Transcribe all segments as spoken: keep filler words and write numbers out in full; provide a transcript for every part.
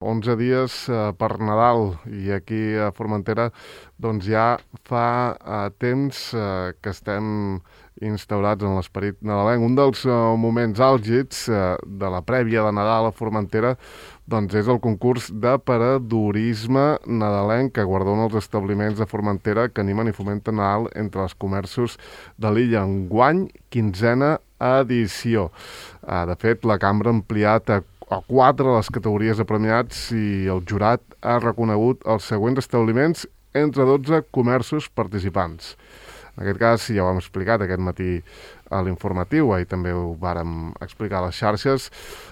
onze dies eh, per Nadal, i aquí a Formentera doncs ja fa eh, temps eh, que estem instaurats en l'esperit nadalenc. Un dels eh, moments àlgids eh, de la prèvia de Nadal a Formentera doncs és el concurs de paradorisme nadalenc que guardona els establiments de Formentera que animen i fomenten Nadal entre els comerços de l'illa. Enguany, quinzena edició. Eh, de fet, la cambra ha ampliat a a quatre les categories de premiats i el jurat ha reconegut els següents establiments entre dotze comerços participants. En aquest cas, ja ho hem explicat aquest matí a l'informatiu, ahir també ho vàrem explicar a les xarxes.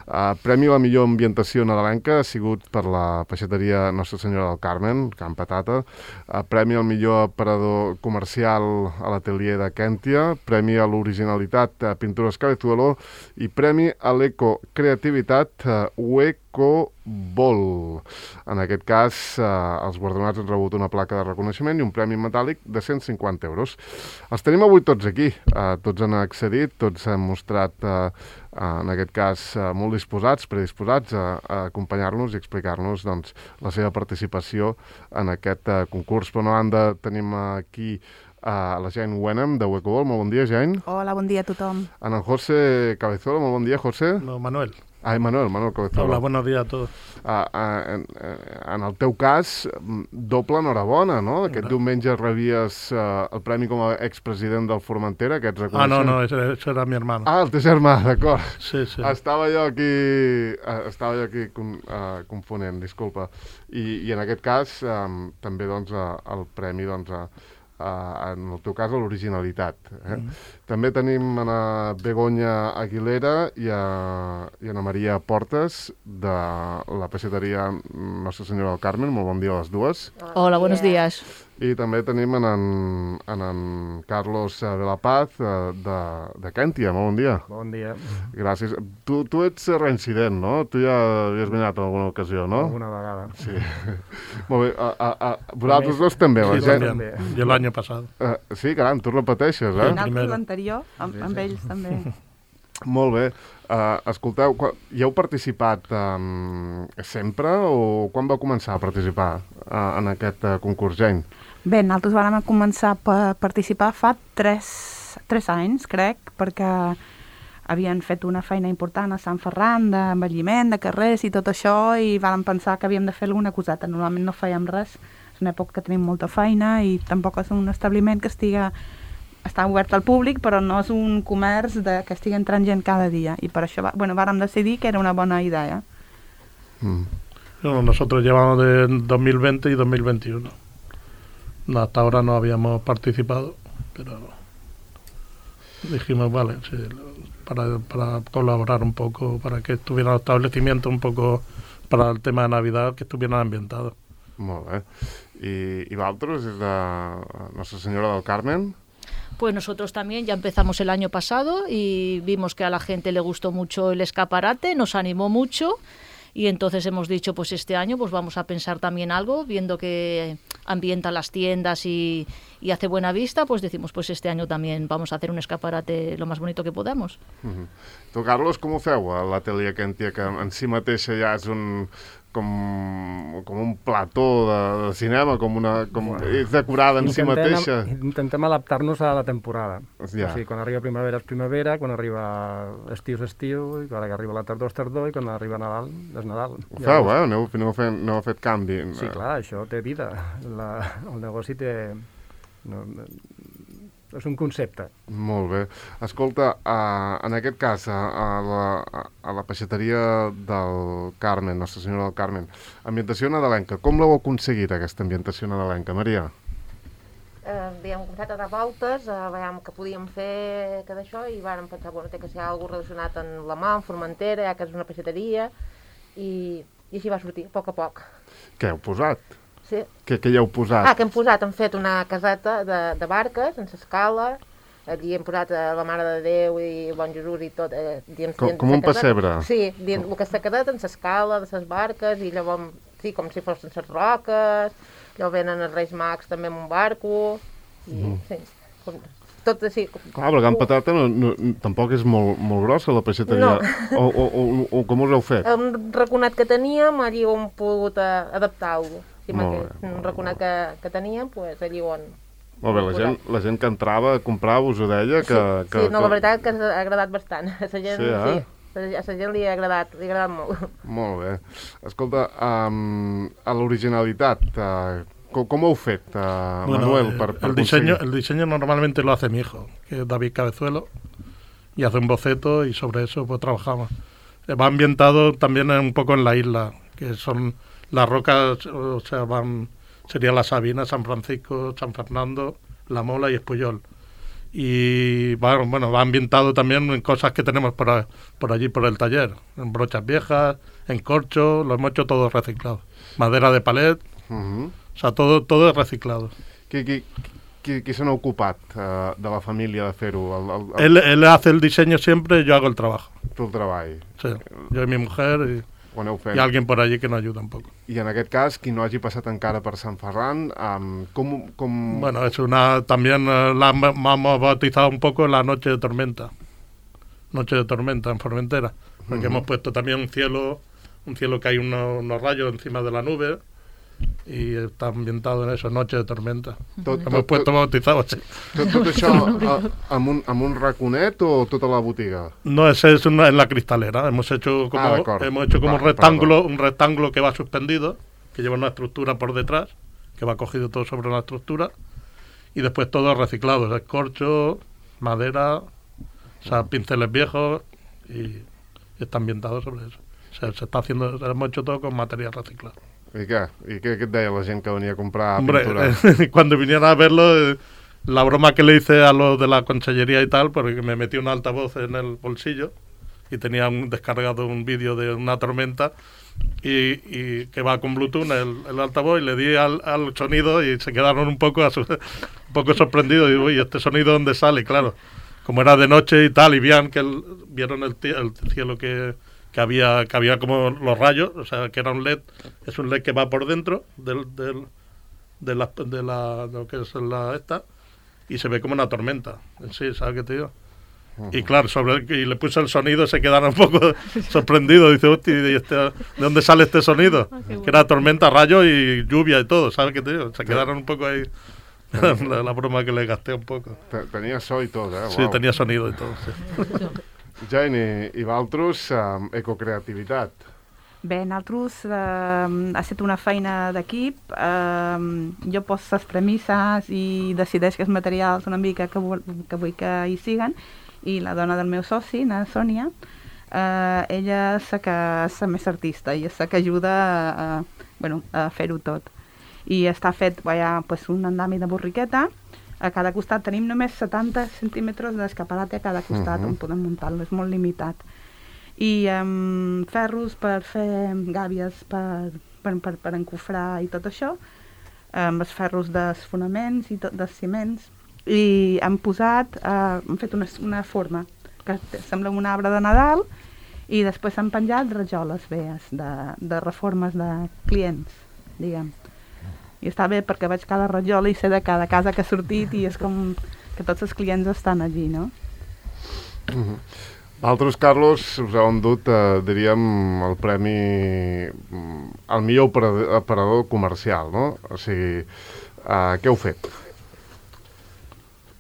Eh, Premi a la millor ambientació nadalenca ha sigut per la peixateria Nostra Senyora del Carmen, Can Patata. Eh, Premi al millor aparador comercial a l'atelier de Quèntia. Premi a l'originalitat a Pintures Cabezuelo i premi a l'ecocreativitat eh, Ueco Vol. En aquest cas, eh, els guardonats han rebut una placa de reconeixement i un premi metàl·lic de cent cinquanta euros. Els tenim avui tots aquí, eh, tots han accedit, tots s'han mostrat, eh, en aquest cas, eh, molt disposats, predisposats a, a acompanyar-nos i explicar-nos doncs, la seva participació en aquest eh, concurs. Per una banda, tenim aquí a la Jane Wenham, de Uecobol. Molt bon dia, Jane. Hola, bon dia a tothom. En el José Cabezuelo. Molt bon dia, José. No, Manuel. Ai, Manuel, Manuel Cabezuelo. Hola, buenos días a todos. Uh, uh, en, uh, en el teu cas, doble enhorabona, no? Aquest no. diumenge rebies uh, el premi com a expresident del Formentera, que ets reconeixent. Ah, no, no, ese, ese era mi hermano. Ah, el teu germà, d'acord. Sí, sí. Estava jo aquí, uh, estava jo aquí uh, confonent, disculpa. I, i en aquest cas, um, també, doncs, uh, el premi, doncs, uh, Uh, en el teu cas, a l'originalitat. Eh? Mm. També tenim a Begoña Aguilera i a, i a Ana Maria Portes, de la peixateria Nostra Senyora del Carmen. Molt bon dia a les dues. Hola, buenos días. I també tenim en en, en, en Carlos de la Paz, de, de Quèntia. Molt bon dia. Bon dia. Gràcies. Tu, tu ets reincident, no? Tu ja havies venat en alguna ocasió, no? Alguna vegada. Sí. Molt bé. A, a, a, vosaltres dos també. Sí, la també. I l'any passat. Uh, sí, caram, tu repeteixes, eh? En l'anterior, amb, amb ells també. Molt bé. Uh, escolteu, hi heu participat um, sempre o quan vau començar a participar uh, en aquest uh, concurs, Jane? Bé, nosaltres vam començar a participar fa tres, tres anys, crec, perquè havien fet una feina important a Sant Ferran, d'envelliment, de carrers i tot això, i vam pensar que havíem de fer alguna coseta. Normalment no fèiem res, és una època que tenim molta feina i tampoc és un establiment que estiga, està obert al públic, però no és un comerç de, que estigui entrant gent cada dia, i per això va, bueno, vàrem decidir que era una bona idea. Mm. No, nosotros llevamos de dos mil veinte y dos mil veintiuno. No, hasta ahora no habíamos participado, pero dijimos, vale, sí, para, para colaborar un poco, para que estuviera el establecimiento un poco para el tema de Navidad, que estuvieran ambientados. Molt bé. I, i vosaltres, des de Nostra Senyora del Carmen? Pues nosotros también ya empezamos el año pasado y vimos que a la gente le gustó mucho el escaparate, nos animó mucho. Y entonces hemos dicho, pues este año pues vamos a pensar también algo, viendo que ambienta las tiendas y, y hace buena vista, pues decimos, pues este año también vamos a hacer un escaparate lo más bonito que podamos. Uh-huh. Tu, Carlos, com ho feu a l'atelier Quèntia, que en si mateixa ja és un, com, com un plató de, de cinema, com una, com, bueno, és decorada en si mateixa? Intentem adaptar-nos a la temporada. Ja. O sigui, quan arriba primavera és primavera, quan arriba estiu és estiu, i quan arriba la tardor és tardor, i quan arriba Nadal és Nadal. Ho feu, eh? Aneu, aneu, fent, aneu fet canvi. Sí, clar, això té vida. La, el negoci té... No, és un concepte. Molt bé. Escolta, uh, en aquest cas, a, a, la, a la peixateria del Carmen, Nostra Senyora del Carmen, ambientació nadalenca, com l'heu aconseguit, aquesta ambientació nadalenca, Maria? Eh, havíem començat a dar voltes, eh, veiem que podíem fer que d'això, i vàrem pensar, bueno, té que ser alguna relacionat amb la mà, amb Formentera, ja que és una peixateria, i, i així va sortir, a poc a poc. Què heu posat? Sí. Què, què hi heu posat? Ah, que hem posat, hem fet una caseta de, de barques, sense escala, allí hem posat eh, la Mare de Déu i el Bon Jesús i tot. Eh, dins, com, dins com un pessebre? Sí, dins el que està quedat en l'escala de les barques, i llavors, sí, com si fossin les roques, llavors venen els Reis Mags també amb un barco, i, mm. sí, com, tot així... Clar, però Can Patata no, no, tampoc és molt, molt grossa la peixateria. No. O, o, o, o com us heu fet? Un raconat que teníem, allí ho hem pogut eh, adaptar-ho. Sí, Molt bé, un raconat que, que teníem, doncs allí ho hem... Molt bé, la gent, la gent que entrava a comprar us ho deia que... Sí, que, sí, no, que... la veritat que ha agradat bastant. A la gent, Sí, eh? sí, a la gent li ha agradat, li ha agradat molt. Molt bé. Escolta, um, a l'originalitat, uh, com, com ho heu fet, uh, Bueno, Manuel, eh, per, per el diseño, aconseguir? el diseño normalmente lo hace mi hijo, que es David Cabezuelo, y hace un boceto y sobre eso pues trabajamos. Eh, Va ambientado también un poco en la isla, que son las rocas, o sea, van sería la Sabina, San Francisco, San Fernando, La Mola y Espuyol. Y bueno, bueno, va ambientado también en cosas que tenemos por, a- por allí, por el taller, en brochas viejas, en corcho, lo hemos hecho todo reciclado. Madera de palet, Uh-huh. o sea, todo, todo es reciclado. Qui, qui, qui, qui se n'ha ocupat uh, de la família de fer-ho? El, el, el, Él, él hace el diseño siempre, yo hago el trabajo. tu el treball. Sí, yo y mi mujer y, Ho aneu fent. y alguien por allí que nos ayuda un poco. I en aquest cas, qui no hagi passat encara per Sant Ferran, um, com... com... Bueno, es una, también eh, la hem- hemos bautizado un poco la noche de tormenta. Noche de tormenta en Formentera. Porque Ujú. hemos puesto también un cielo, un cielo que hay unos, unos rayos encima de la nube y está ambientado en eso, noche de tormenta. Tot, Hemos tot, puesto tot, bautizado así. tot, tot això a, amb, un, amb un raconet o tota la botiga? No, ese es una, en la cristalera. Hemos hecho como, Ah, de acuerdo. hemos hecho como un Vale, rectángulo, un rectángulo que va suspendido, que lleva una estructura por detrás, que va cogido todo sobre una estructura, y después todo reciclado, escorcho, madera, o sea, pinceles viejos, y, y está ambientado sobre eso. O sea, se está haciendo, hemos hecho todo con material reciclado. I què? I què, què et deia la gent que venia a comprar Hombre, pintura? eh, cuando vinieron a verlo, eh, la broma que le hice a los de la consellería y tal, porque me metí un altavoz en el bolsillo y tenía un, descargado un vídeo de una tormenta y, y que va con Bluetooth el, el altavoz, y le di al, al sonido y se quedaron un poco, asu- un poco sorprendidos. Y digo, uy, ¿este sonido dónde sale? Y claro, como era de noche y tal, y vean que el- vieron el, ti- el cielo que, que había que había como los rayos, o sea, que era un L E D, es un L E D que va por dentro del, del, de, la, de, la, de lo que es la esta, y se ve como una tormenta en sí, ¿sabes qué te digo? Y claro, sobre el- y le puse el sonido, se quedaron un poco sorprendidos. Dice, hostia, ¿y este- ¿de dónde sale este sonido? Que era tormenta, rayo y lluvia y todo, ¿sabes qué te digo? Se quedaron un poco ahí, la, la broma que le gasté un poco. Te- Tenia so i tot, eh? Sí, Uau. tenía sonido y todo, sí. Jane, i, i Valtros, um, ecocreativitat. Bé, nosaltres eh, ha estat una feina d'equip. Eh, jo poso les premisses i decideix els materials una mica que, vol, que vull que hi siguen, i la dona del meu soci, na Sònia, eh, ella és la que és la més artista i és la que ajuda a, a, bueno, a fer-ho tot. I està fet, hi ha pues, un andami de borriqueta. A cada costat tenim només setanta centímetres d'escaparate a cada costat, Mhm. on podem muntar-lo, és molt limitat. I um, ferros per fer gàbies per, per, per, per encofrar i tot això, amb els ferros dels fonaments i tot, dels ciments, i hem posat, uh, hem fet una, una forma que té- sembla un arbre de Nadal, i després han penjat rajoles vees de, de reformes de clients, diguem. I està bé perquè veig cada rajola i sé de cada casa que ha sortit, i és com que tots els clients estan allí, no? Valtros, Carlos, us heu endut, eh, diríem, el premi mm, al millor operador, operador comercial, no? O sigui, eh, què heu fet?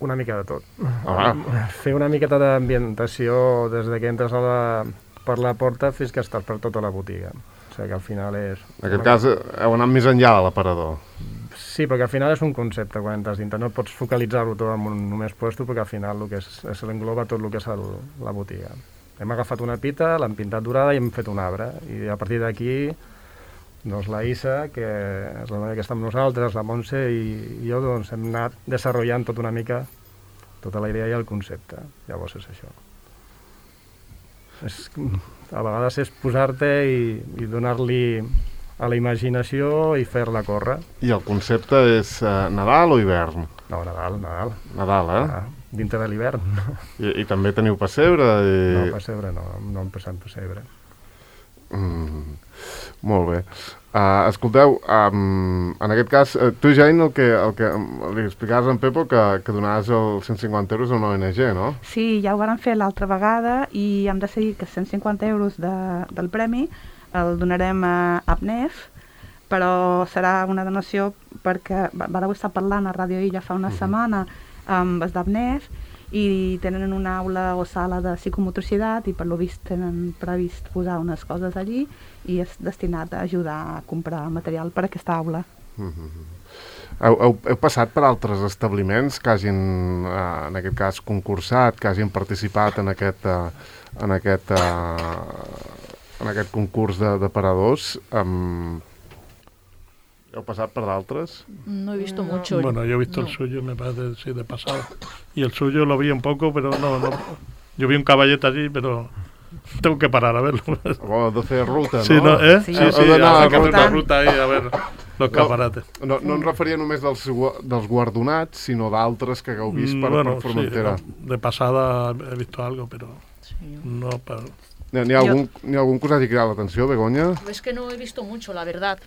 Una mica de tot. Home, Fer una miqueta d'ambientació des de que entres a la, per la porta fins que estàs per tota la botiga. O sigui que al final és... en aquest cas eh, heu anat més enllà de l'aparador. Sí, perquè al final és un concepte quan entres dintre. No pots focalitzar-ho tot en un només puesto, perquè al final el que és, és l'engloba tot el que és el, la botiga. Hem agafat una pita, l'hem pintat dorada i hem fet un arbre. I a partir d'aquí, doncs la Issa, que és la noia que està amb nosaltres, la Montse i, i jo, doncs hem anat desenvolupant tot una mica tota la idea i el concepte. Llavors és això. És, a vegades és posar-te i, i donar-li a la imaginació i fer-la córrer. I el concepte és eh, Nadal o hivern? No, Nadal, Nadal. Nadal, eh? Ah, dintre de l'hivern. I, I també teniu pessebre? I... No, pessebre no, no hem passat pessebre. Mm, molt bé. Uh, escolteu, um, en aquest cas, uh, tu, Jane, el que, el que um, li explicaves a en Pepo que, que donaves els cent cinquanta euros a una O N G, no? Sí, ja ho vàrem fer l'altra vegada i hem decidit que cent cinquanta euros de, del premi el donarem a APNEF, però serà una donació perquè vareu estar parlant a Ràdio Illa fa una uh -huh. setmana amb els d'APNEF i tenen una aula o sala de psicomotricitat i per lo vist tenen previst posar unes coses allí i és destinat a ajudar a comprar material per a aquesta aula. Uh -huh. heu, heu, heu passat per altres establiments que hagin, eh, en aquest cas, concursat, que hagin participat en aquest, eh, en aquest, eh, en aquest concurs de, de paradors? Um, ¿Heu pasado por d'altres? No he visto mucho. Bueno, yo he visto no. el suyo, me parece, sí, de pasado. Y el suyo lo vi un poco, pero no, no. Yo vi un caballete allí, pero tengo que parar a verlo. Bueno, doce de ruta, no? Sí, no, ¿eh? Sí, Sí, sí, Heu d'anar habrá que hacer una rotant. ruta ahí a ver los caparates. No, no em referia només dels, gua- dels guardonats, sinó d'altres que hagueu vist per, bueno, per Formentera. sí, de pasada he visto algo, pero Sí. no para... N'hi ha, algun, n'hi ha algun que us hagi cridat l'atenció, Begoña? Es que no he visto mucho, la verdad.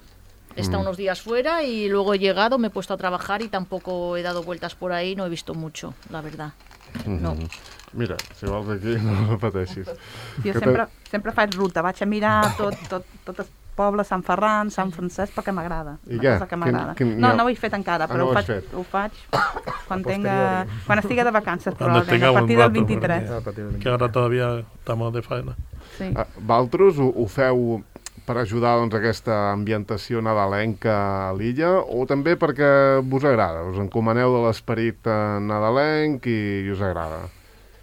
He estado Mm. unos días fuera y luego he llegado, me he puesto a trabajar y tampoco he dado vueltas por ahí, no he visto mucho, la verdad. No. Mhm. Mira, si vols aquí, no repeteixis. Jo Que sempre, sempre faig ruta, vaig a mirar tot, tot, tot el poble, Sant Ferran, Sant Francesc, perquè m'agrada. I una què? cosa que m'agrada. Quin- quin- No, no- no ho he fet encara, Ah, però no ho ho, has faig, fet? ho faig quan, tenga, quan estigui de vacances, Cuando probablement, a tengamos partir un del rato, vint-i-tres. A partir de Que ahora todavía estamos de faena. Sí. Ah, Valtros, ho, ho feu per ajudar doncs, aquesta ambientació nadalenca a l'illa o també perquè vos agrada? Us encomaneu de l'esperit eh, nadalenc i, i us agrada?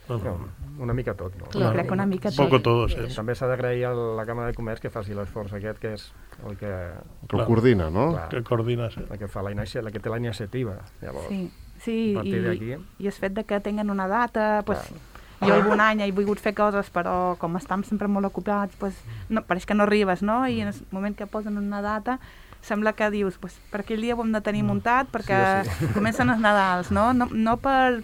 No, no. No, una mica tot, no? Jo crec que una mica Un poco tot. todo, sí. També s'ha d'agrair a la Càmera de Comerç que faci l'esforç aquest, que és el que, Que ho Clar. coordina, no? Clar. Que coordina, sí. el que, fa la, inici- la que té la iniciativa. Llavors, Sí, sí a partir i, d'aquí... i el fet de que tinguen una data, pues, jo algun any he volgut fer coses, però com estem sempre molt ocupats, pues, no, pareix que no arribes, no? I en el moment que posen una data, sembla que dius, pues, per aquell dia ho hem de tenir muntat, perquè Sí, sí. comencen els Nadals, no? No, no per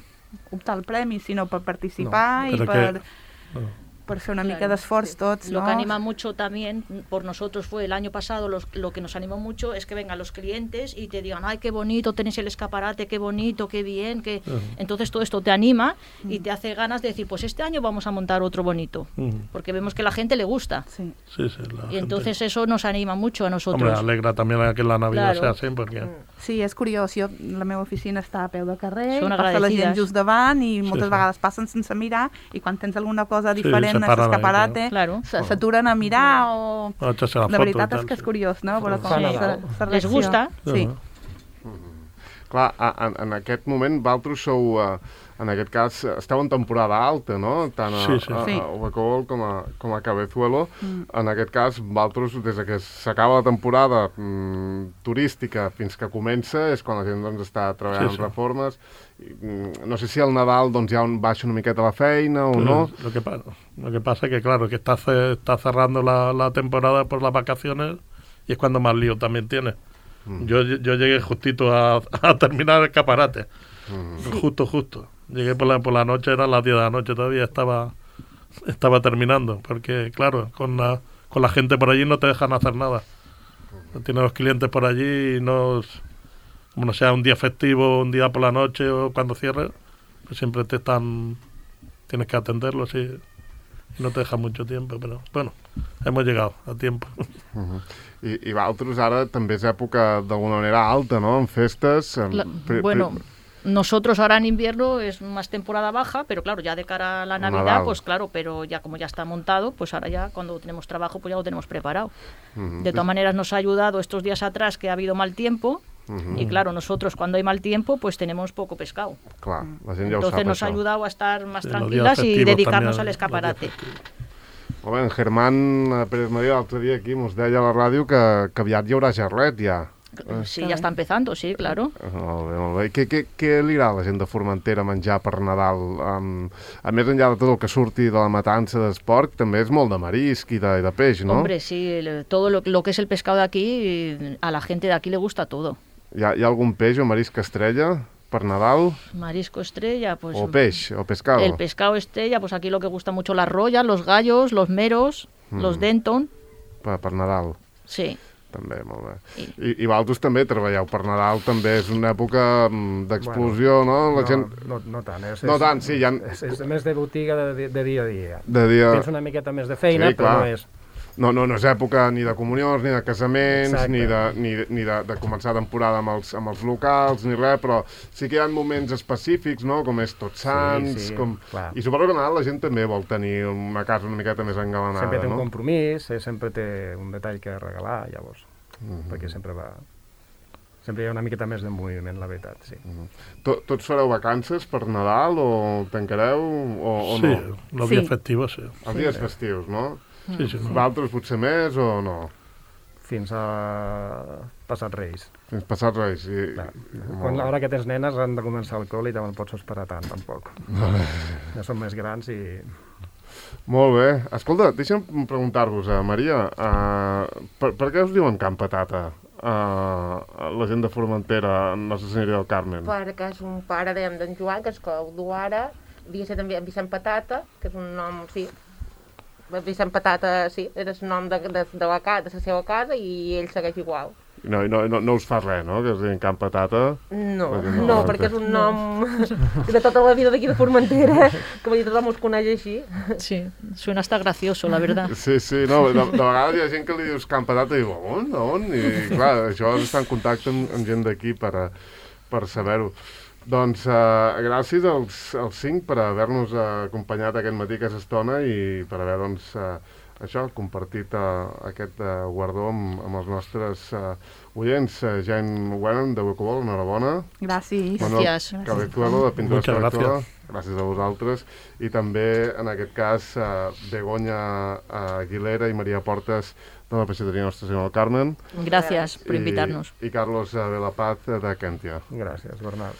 optar al premi, sinó per participar No, i però per, que- no. per fer una Claro, mica d'esforç tots, Lo no? que anima mucho también por nosotros fue el año pasado, los- lo que nos animó mucho es que vengan los clientes y te digan, ay, qué bonito, tenéis el escaparate, qué bonito, qué bien, que Ujú. entonces todo esto te anima y te hace ganas de decir, pues este año vamos a montar otro bonito, Ujú. porque vemos que la gente le gusta Sí. Sí, sí. La y gente- entonces eso nos anima mucho a nosotros. Hombre, alegra también a que la Navidad Claro. sea así, porque... Sí, és curiós. Jo, la meva oficina està a peu de carrer, Són i passa la gent agradecides. just davant i moltes sí. vegades passen sense mirar i quan tens alguna cosa Sí, diferent se a paran ahí, l'escaparate Claro. se- s'aturen a mirar o... a echarse la La foto veritat y és tal, que és sí. curiós, no? Veure com Fa se, Nadal. se Les gusta. Sí. Ujú. Clar, a- en, en aquest moment, Valtros sou, eh, en aquest cas, esteu en temporada alta, no? Tant a, Sí, sí. a, Sí. a Huacol com a, com a Cabezuelo. Mm. En aquest cas, Valtros, des de que s'acaba la temporada mm, turística fins que comença, és quan la gent doncs, està treballant Sí, sí. en reformes. I, mm, no sé si al Nadal doncs, ja un baixa una miqueta la feina o Pues no. Lo que, pa- lo que pasa es que, claro, que está, ce- está cerrando la, la temporada por las vacaciones y es cuando más lío también tiene. Mm. Yo, yo llegué justito a, a terminar el escaparate. Mm. Justo, justo. Llegué por la, por la noche, eran las diez de la noche, todavía estaba, estaba terminando. Porque, claro, con la, con la gente por allí no te dejan hacer nada. Tienes los clientes por allí y no... Como no sea un día festivo, un día por la noche o cuando cierres, pues siempre te están... Tienes que atenderlos y, y no te dejan mucho tiempo. Pero bueno, hemos llegado a tiempo. Uh-huh. I, I Valtros ara també és època d'alguna manera alta, no? En festes... En... La- pri- bueno, pri- nosotros ahora en invierno es más temporada baja, pero claro, ya de cara a la Navidad, Nadal. pues claro, pero ya como ya está montado, pues ahora ya cuando tenemos trabajo, pues ya lo tenemos preparado. Mhm. De todas maneras nos ha ayudado estos días atrás que ha habido mal tiempo Mhm. y claro, nosotros cuando hay mal tiempo, pues tenemos poco pescado. Clar, la gent ja ho Entonces sap, nos ha això. ayudado a estar más Sí, los tranquilas días y festivos dedicarnos también, al los días escaparate. festivos. Molt bé, en Germán eh, Pérez Maria l'altre dia aquí mos deia a la ràdio que, que aviat hi haurà jarret ja. Sí, ya está empezando, sí, claro. Molt bé, molt bé. I què, què, què li agrada a la gent de Formentera menjar per Nadal? Um, a més enllà de tot el que surti de la matança d'esport, també és molt de marisc i de, i de peix, no? Hombre, sí, el- todo lo, lo que es el pescado de aquí, a la gente de aquí le gusta todo. Hi ha, hi ha algun peix o marisc estrella per Nadal? Marisco estrella, pues... O peix, o pescado? El pescado estrella, pues aquí lo que gusta mucho las rollas, los gallos, los meros, Mm. los denton, Per, per Nadal. sí. També, molt bé. I, I, i vosaltres també treballeu per Nadal, també és una època d'explosió, bueno, no? La no, gent... no, no tant. És, no tant, sí, ja... És, és més de botiga de, de dia a dia. De dia... Tens una miqueta més de feina, sí, però clar. no és... No, no, no és època ni de comunions, ni de casaments, Exacte. ni, de, ni, de, ni de, de començar temporada amb els, amb els locals, ni res, però sí que hi ha moments específics, no?, com és Tots Sants, Sí, sí, com... clar. I suposo que a Nadal la gent també vol tenir una casa una miqueta més engalanada, Sempre té un no? compromís, eh, sempre té un detall que regalar, llavors, Mhm. perquè sempre va... Sempre hi ha una miqueta més de moviment, la veritat, sí. Tot, tots fareu vacances per Nadal o tancareu o, o Sí, no? los Sí. días festivos, sí. Els dies festius, no? Sí, sí, no. Vosaltres potser més o no? Fins a passat Reis. Fins passat Reis. I... Clar. molt Quan bé. l'hora que tens nenes han de començar el col i no pots esperar tant, tampoc. Ja són més grans i... Molt bé. Escolta, deixa'm preguntar-vos, uh, Maria, uh, per, per què us diuen Camp Patata? Uh, la gent de Formentera, Nostra Senyoria del Carmen. Perquè és un pare, dèiem, d'en Joan, que és que el du ara, havia ser també en Vicent Patata, que és un nom, sí, Vicent Patata, sí, era el nom de, de, de, la, ca- de la seva casa i ell segueix igual. No, no, no, no us fa res, no?, que es diguin Camp Patata? No, Perquè no, no, perquè és un nom de tota la vida d'aquí de Formentera, que vull dir, tothom us coneix així. Sí, suena hasta gracioso, la verdad. Sí, sí, no, de, de vegades hi ha gent que li dius Camp Patata i diu, on, on? I clar, això és estar en contacte amb, amb gent d'aquí per, a- per saber-ho. Doncs uh, gràcies als, als cinc per haver-nos uh, acompanyat aquest matí, aquesta estona, i per haver, doncs, uh, això, compartit uh, aquest uh, guardó amb, amb els nostres uh, oients. Uh, Jane Wenham, de Bucobol, enhorabona. Gràcies. Manuel Gràcies. Cabezuelo, de Pintura Muchas Selectora, gracias. gràcies a vosaltres. I també, en aquest cas, uh, Begoña uh, Aguilera i Maria Portes, de la peixateria Nostra Senyora del Carmen. Gracias por invitarnos. I, i Carlos uh, Velapaz, de Kentia. Gràcies, Bernat.